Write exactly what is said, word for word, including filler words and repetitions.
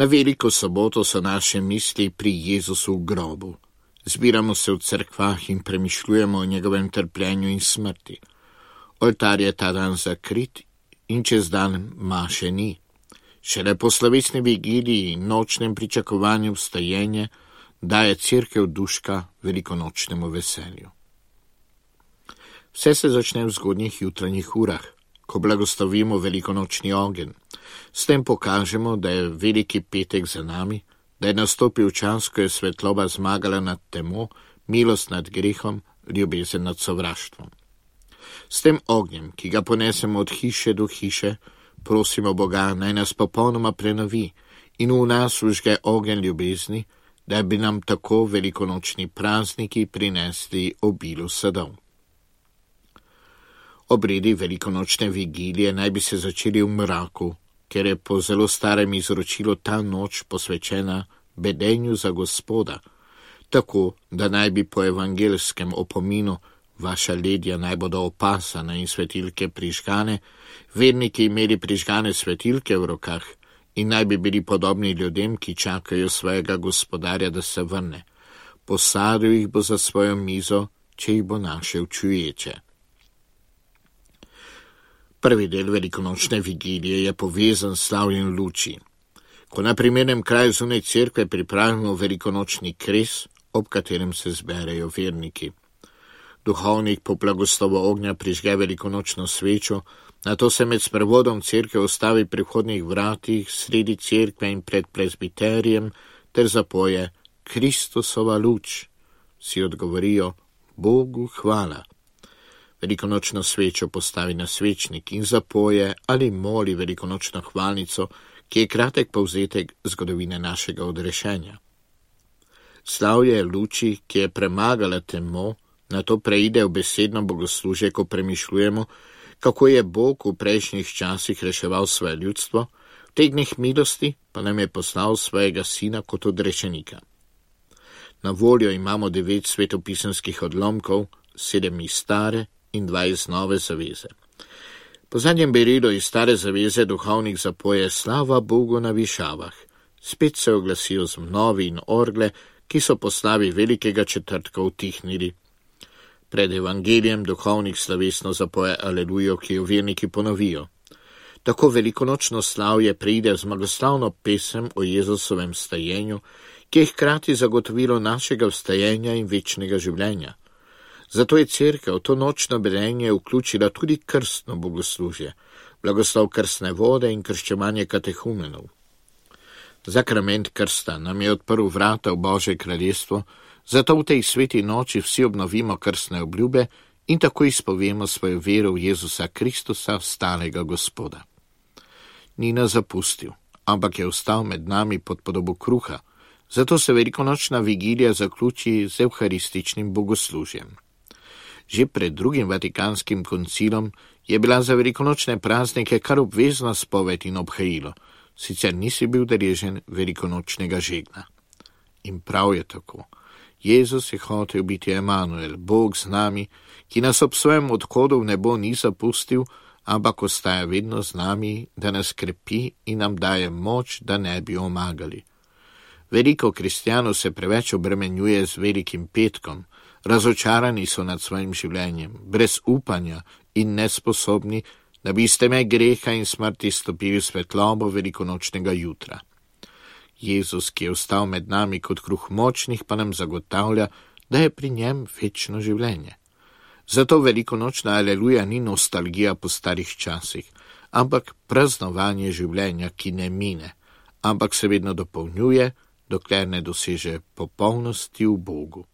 Na veliko soboto so naše misli pri Jezusu v grobu. Zbiramo se v cerkvah in premišljujemo o njegovem trpljenju in smrti. Oltar je ta dan zakrit in čez dan maše ni. Šele po slovesni vigiliji in nočnem pričakovanju vstajenja daje cerkev duška velikonočnemu veselju. Vse se začne v zgodnjih jutranjih urah, ko blagoslovimo velikonočni ogenj. S tem pokažemo, da je veliki petek za nami, da je nastopil čas, ko je svetloba zmagala nad temo, milost nad grehom, ljubezen nad sovraštvom. S tem ognjem, ki ga ponesemo od hiše do hiše, prosimo Boga, naj nas popolnoma prenovi in v nas vžge ogenj ljubezni, da bi nam tako velikonočni prazniki prinesli obilo sadov. Obredi velikonočne vigilije naj bi se začeli v mraku, ker je po zelo starem izročilu ta noč posvečena bedenju za Gospoda, tako da naj bi po evangelskem opominu vaša ledja naj bodo opasana in svetilke prižgane, verniki imeli prižgane svetilke v rokah in naj bi bili podobni ljudem, ki čakajo svojega gospodarja, da se vrne. Posadil jih bo za svojo mizo, če jih bo našel čuječe. Prvi del velikonočne vigilije je povezan s slavjem luči. Ko na primernem kraju zunaj cerkve pripravimo velikonočni kres, ob katerem se zberejo verniki. Duhovnik po blagoslovu ognja prižge velikonočno svečo, nato se med sprevodom cerkve ustavi pri vhodnih vratih, sredi cerkve in pred prezbiterijem, ter zapoje Kristusova luč. Vsi odgovorijo Bogu hvala. Velikonočno svečo postavi na svečnik in zapoje ali moli velikonočno hvalnico, ki je kratek povzetek zgodovine našega odrešenja. Slavje luči, ki je premagala temo, nato preide v besedno bogoslužje, ko premišljujemo, kako je Bog v prejšnjih časih reševal svoje ljudstvo, v teh dneh milosti pa nam je poslal svojega sina kot odrešenika. Na voljo imamo devet svetopisanskih odlomkov, sedem iz stare in dva iz nove zaveze. Po zadnjem berilu iz stare zaveze duhovnik zapoje slava Bogu na višavah. Spet se oglasijo zmnovi in orgle, ki so po slavi velikega četrtka utihnili. Pred evangelijem duhovnik slovesno zapoje alelujo, ki jo verniki ponovijo. Tako velikonočno slavje pride z zmagoslavno pesem o Jezusovem vstajenju, ki je hkrati zagotovilo našega vstajenja in večnega življenja. Zato je cerkev to nočno bedenje vključila tudi krstno bogoslužje, blagoslov krstne vode in krščevanje katehumenov. Zakrament krsta nam je odprl vrata v Božje kraljestvo, zato v tej sveti noči vsi obnovimo krstne obljube in tako izpovemo svojo vero v Jezusa Kristusa, vstalega Gospoda. Ni nas zapustil, ampak je ostal med nami pod podobo kruha, zato se velikonočna vigilija zaključi z evharističnim bogoslužjem. Že pred drugim Vatikanskim koncilom je bila za velikonočne praznike kar obvezna spoved in obhajilo, sicer nisi bil deležen velikonočnega žegna. In prav je tako. Jezus je hotel biti Emanuel, Bog z nami, ki nas ob svojem odhodu v nebo ni zapustil, ampak ostaja vedno z nami, da nas krepi in nam daje moč, da ne bi omagali. Veliko kristjanov se preveč obremenjuje z velikim petkom, razočarani so nad svojim življenjem, brez upanja in nesposobni, da bi iz teme greha in smrti stopili v svetlobo velikonočnega jutra. Jezus, ki je ostal med nami kot kruh močnih, pa nam zagotavlja, da je pri njem večno življenje. Zato velikonočna aleluja ni nostalgija po starih časih, ampak praznovanje življenja, ki ne mine, ampak se vedno dopolnjuje, dokler ne doseže popolnosti v Bogu.